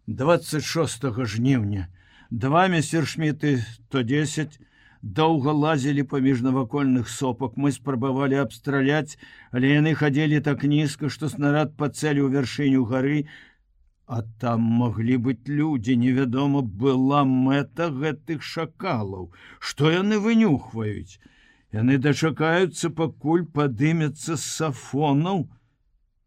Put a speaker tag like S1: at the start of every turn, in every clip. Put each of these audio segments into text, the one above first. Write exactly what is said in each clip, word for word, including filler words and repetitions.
S1: двадцать шостого жніўня. Два мессершміты сто десять доўга лазілі паміж навакольных сопак. Мы спрабавалі абстраляць, але яны хадзілі так нізка, што снарад пацэліў вяршыню гары, а там маглі быць людзі. Невядома была мэта гэтых шакалаў. Што яны вынюхваюць? Яны дачакаюцца, пакуль падымецца з сафонаў,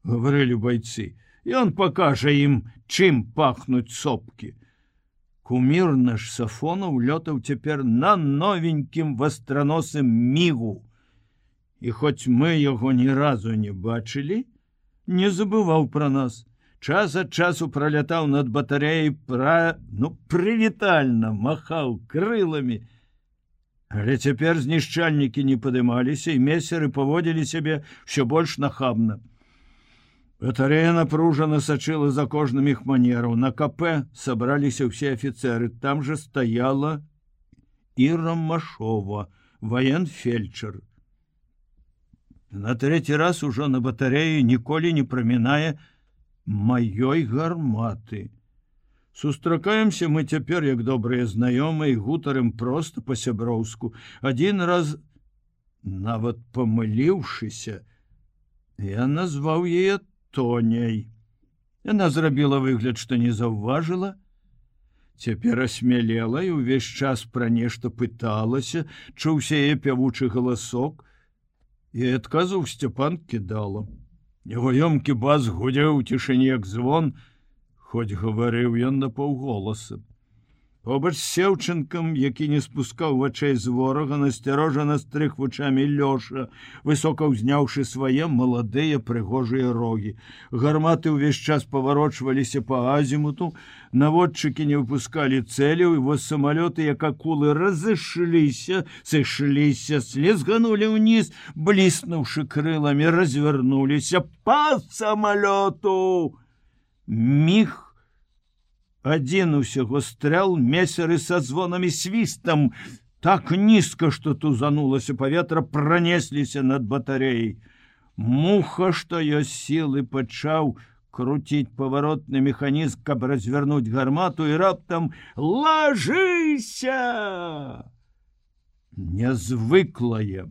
S1: гаварылі байцы. Ён пакажа ім, чым пахнуць сопкі. Кумір наш Сафонаў лётаў цяпер на новенькім вастраносым мігу. І хоць мы яго ні разу не бачылі, не забываў пра нас. Час ад часу пралятаў над батарэяй, пра... ну, прывітальна махаў крыламі. Але цяпер знішчальнікі не падымаліся, і месеры паводзілі сябе ўсё больш нахабна. Батарея напружана сачыла за кожным іх манераў. На КП сабраліся ўсе афіцеры. Там жа стаяла Іра Машова, ваенфельчар. На трэці раз ужо на батарею ніколі не прамінае маёй гарматы. Сустракаемся мы цяпер, як добрыя знаёмыя, і гутарым проста па-сяброўску. Адзін раз, нават памыліўшыся, я назваў яе Тоняй. Яна зрабіла выгляд, што не заўважыла. Цяпер асмялела і ўвесь час пра нешта пыталася, чуўся яе пявучы галасок, і адказу ў Сцяпан кідала. Яго ёмкі бас гудзеў у цішыні, як звон, хоць гаварыў ён напаўголаса. Побач з Сеўчынкам, які не спускаў вачэй з ворага, насцярожана стрыг вачамі Лёша, высока ўзняўшы свае маладыя прыгожыя рогі. Гарматы ўвесь час паварочваліся па азімуту, наводчыкі не выпускалі цэляў, і вось самалёты, як акулы, разышліся, сышліся, слізганулі ўніз, бліснуўшы крыламі, развярнуліся па самалёту. Міг адзін усяго стрэл, месеры са звонам і свістам, так нізка, што тузанулася паветра, пранесліся над батарэяй. Муха, што ёсць сілы, пачаў круціць паваротны механізм, каб развярнуць гармату, і раптам «Лажыся!» Нязвыклая,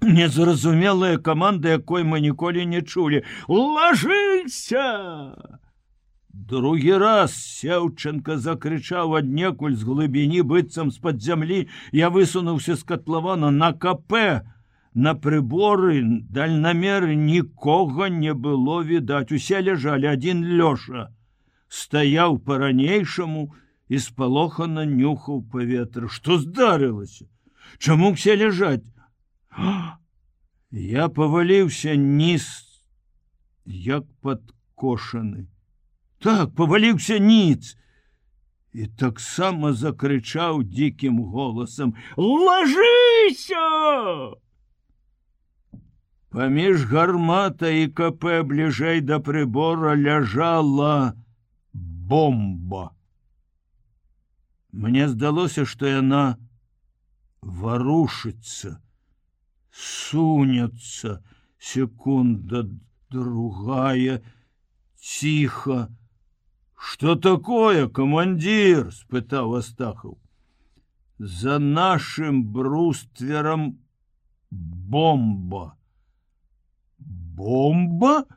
S1: незразумелая каманда, якой мы ніколі не чулі. «Лажыся!» Другі раз Сеўченка закрычаў аднекуль з глыбіні, быццам з-пад зямлі. Я высунуўся з катлавана на КП. На прыборы, дальнамеры нікога не было відаць. Усе ляжалі, адзін Лёша стаяў па-ранейшаму і спалохана нюхаў паветра. Што здарылася? Чаму ўсе ляжаць? Я паваліўся ніз, як падкошаны. Так, паваліўся ніц, і таксама закрычаў дзікім голасам: «Лажыся!» Паміж гарматай і КП бліжэй да прыбора ляжала бомба. Мне здалося, што яна варушыцца, сунецца, секунда, другая, ціха. «Что такое, командир?» — спытаў Астахаў. «За нашим бруствером бомба». «Бомба?»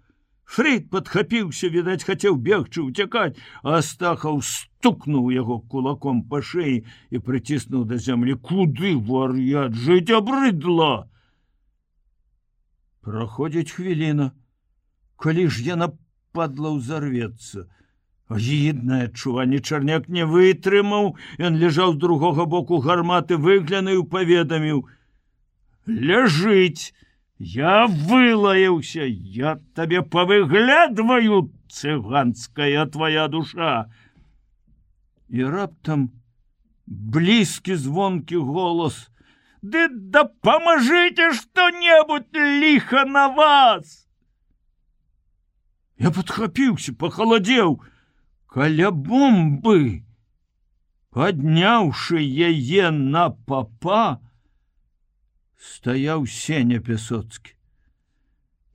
S1: Фрейд падхапіўся, відаць, хацеў бегчы, уцякаць, а Астахаў стукнуў яго кулаком па шеі і прыціснуў да зямлі. «Куды, вар'ят, жыць абрыдла!» Праходзіць хвіліна. Калі ж яна, падла, ўзарвецца? Агіднае адчуванне. Чарняк не вытрымаў. Ён ляжаў з другога боку гарматы, выглянуў, паведаміў: «Ляжыць! Я вылаяўся! Я табе павыглядваю, цыганская твоя душа!» І раптам блізкі звонкі голас: «Ды дапамажыце што-небудзь, ліха на вас!» Я падхапіўся, пахаладзеў. Каля бомбы, падняўшы яе на папа, стаяў Сеня Пясоцкі.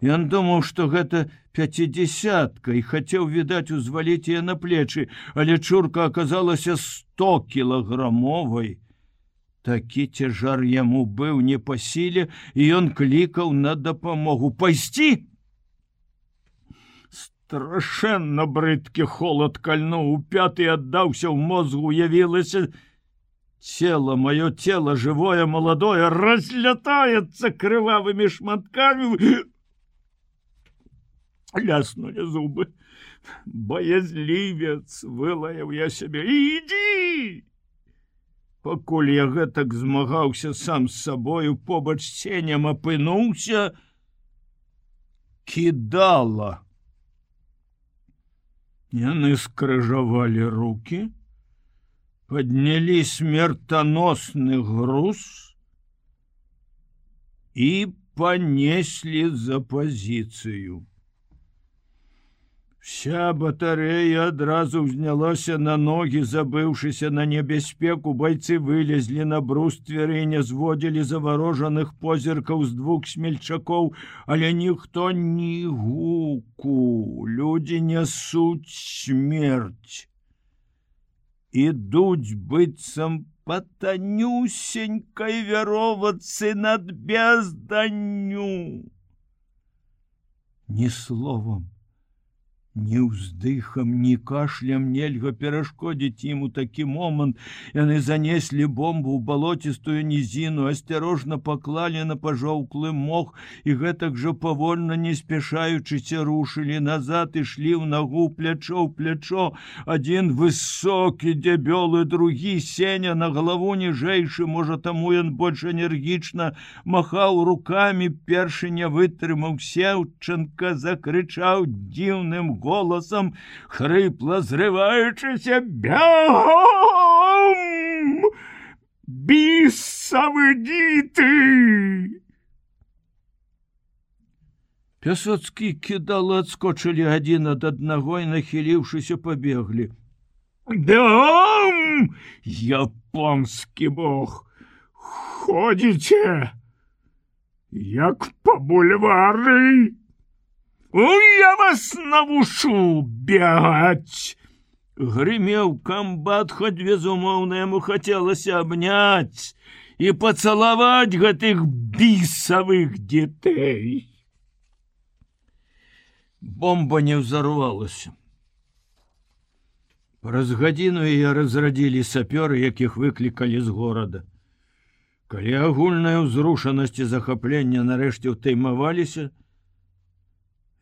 S1: Ён думаў, што гэта пятидесятка і хацеў, відаць, узваліць яе на плечы, але чурка аказалася сто кілаграмовай. Такі цяжар яму быў не па сіле, і ён клікаў на дапамогу. Пайсці! Страшэнна брыдкі холад кальнуў у пяты, аддаўся ў мозгу, уявілася, тело, мое тело, живое, молодое, разлетается кровавыми шматками. Ляснули зубы. Боязливец, вылаяў я себе. Иди! Пакуль я гэтак змагаўся сам з сабою, побач з ценем апынуўся кидала. Яны скрыжавалі руки, подняли смертоносный груз и понесли за позицию. Вся батарея адразу ўзнялася на ноги, забыўшыся на небяспеку, бойцы вылезли на брустверы і не зводили завороженных позіркаў з двух смельчакоў, але ніхто ні гуку. Люди несуць смерть. Ідуць быццам па танюсенькай вяровацы над безданню. Ни словом, ни ўздыхам, ни кашлем нельга перашкодзіць ім у такі момант. Яны занеслі бомбу ў балотістую нізіну, асцярожна паклалі на пажоўклы мох і гэтак жа павольна, не спяшаючыся, рушылі назад, ішлі ў нагу, плячо ў плячо. Адзін высокі, дзябёлы, другі Сеня, на галаву ніжэйшы, можа, таму ён больш энергічна махаў рукамі. Першы не вытрымаў Сеўчанка, закрычаў дзіўным голосом, хрипло зрываючыся: «Бегом! Бісавы діты!» Пясоцкі кідалы адскочылі адзін ад аднаго і, нахіліўшыся, пабеглі. «Бегом! Японскі бог! Ходзіце, як па бульвары! Я вас навучу бегать!» Гремел комбат, хоть безумовно ему хотелось обнять и поцеловать гэтых бисовых детей. Бомба не взорвалась. Праз гадзіну яе разрадзілі сапёры, якіх выклікалі з горада. Калі агульная ўзрушанасць і захаплення нарэшце ўтаймаваліся,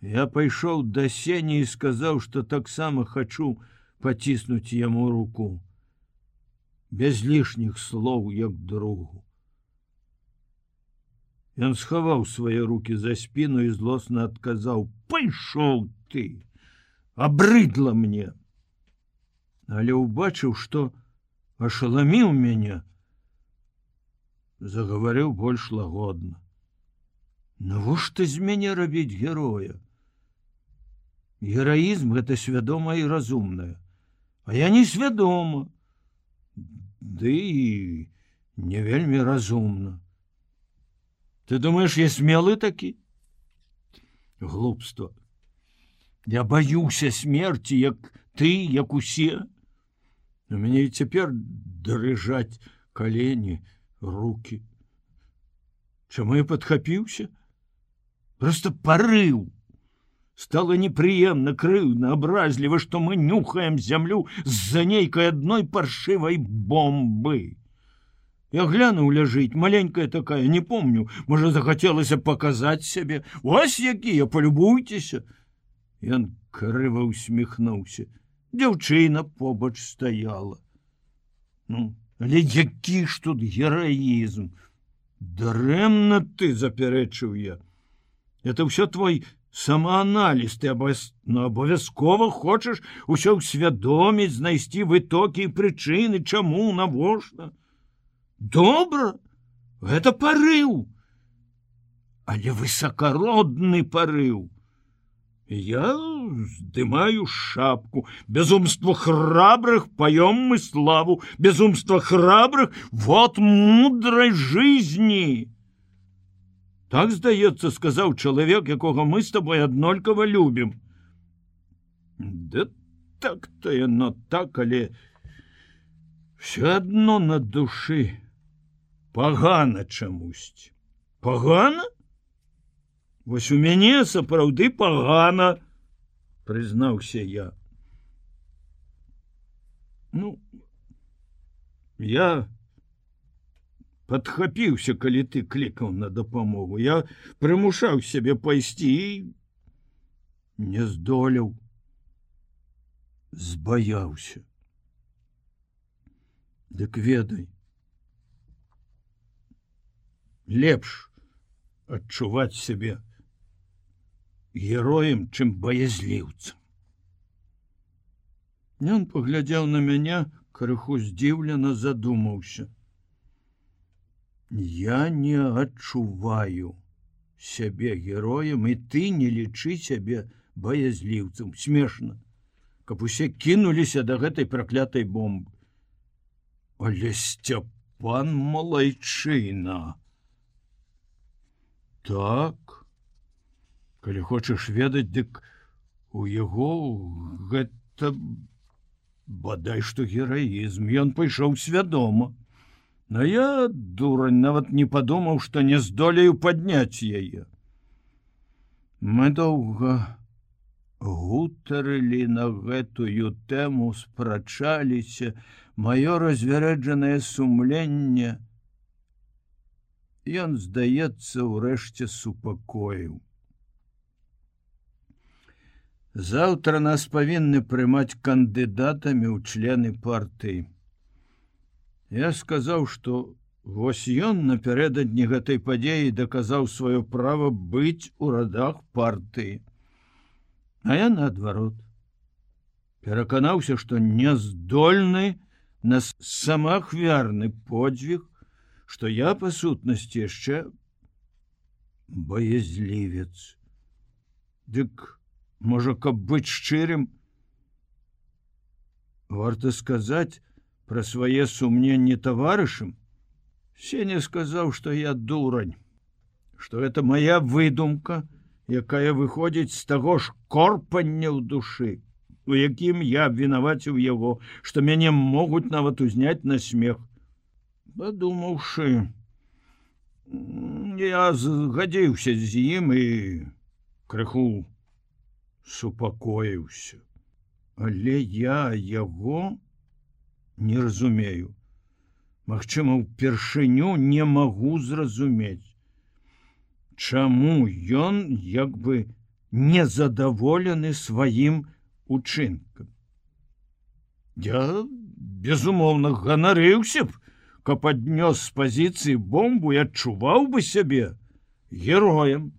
S1: я пайшоў да Сені і сказаў, што таксама хачу паціснуць яму руку. Без лішніх слоў, як другу. Ён схаваў свае руки за спіну і злосна адказаў: «Пайшоў ты! Абрыдла мне!» Але ўбачыў, што ашаламіў мяне, загаварыў больш лагодна. «Навошта з мяне рабіць героя? Гераізм — гэта свядома і разумнае, а я не свядома, ды і не вельмі разумна. Ты думаешь, я смелы такі? Глупство. Я баюся смерти, як ты, як усе. У мяне і цяпер дрыжаць калені, руки. Чаму я падхапіўся? Просто порыв. Стало неприемно, крыўдна, образливо, что мы нюхаем землю з-за нейкой одной паршивой бомбы. Я глянуў, ляжыць, маленькая такая, не помню, можа, захацелася показать себе. Вось якія, полюбуйтеся. Ён крыва усміхнуўся. Дзяўчына побач стаяла. Ну, але які ж тут гераізм? Дарэмна ты, запярэчыў я. Это все твой самоанализ, ты обовязково хочешь усё усвядоміць, знайсці вытокі і прычыны, чаму, навошта. Добра, гэта парыў, але высокородны парыў. Я здымаю шапку. Безумство храбрых поем мы славу, безумство храбрых — вот мудрой жизни. Так, здаецца, сказаў чалавек, якога мы з табой аднолькава любім. Да так-то яно так, але все адно на душы пагана чамусьці. Пагана? Вось у мяне сапраўды пагана, прызнаўся я. Ну, я падхапіўся, калі ты клікаў на дапамогу. Я прымушаў сябе пайсці і не здолеў. Збаяўся. Дык ведай, лепш адчуваць сябе героем, чым баязліўцам. Ён паглядзеў на мяне, крыху здзіўлена задумаўся. Я не адчуваю сябе героем, і ты не лічы сябе баязліўцам. Смешна, каб усе кінуліся да гэтай праклятай бомбы. Але Сцяпан малайчына. Так, калі хочаш ведаць, дык у яго гэта бадай што гераізм. Ён пайшоў свядома. Но я, дурань, нават не падумаў, што не здолею падняць яе. Мы доўга гутарылі на гэтую тэму, спрачаліся, маё развярэджанае сумленне. Ён, здаецца, урэшце супакоіў. Заўтра нас павінны прымаць кандыдатамі ў члены партыі. Я сказаў, што вось ён напярэдадні гэтай падзеі даказаў сваё права быць у радах партыі. А я наадварот пераканаўся, што няздольны на самаахвярны подзвіг, што я, па сутнасці, яшчэ баязлівец. Дык, можа, каб быць шчырым, варта сказаць пра свае сумненні таварышам. Сеня сказаў, што я дурань, што гэта моя выдумка, якая выходзіць з таго ж корпання ў душы, у якім я абвінаваціў яго, што мяне могуць нават узняць на смех. Падумаўшы, я згадзіўся з ім і крыху супакоіўся. Але я яго не разумею. Магчыма, упершыню не магу зразумець, чаму ён як бы незадаволены сваім учынкам. Я, безумоўна, ганарыўся б, каб аднёс з пазіцыі бомбу і адчуваў бы сябе героем.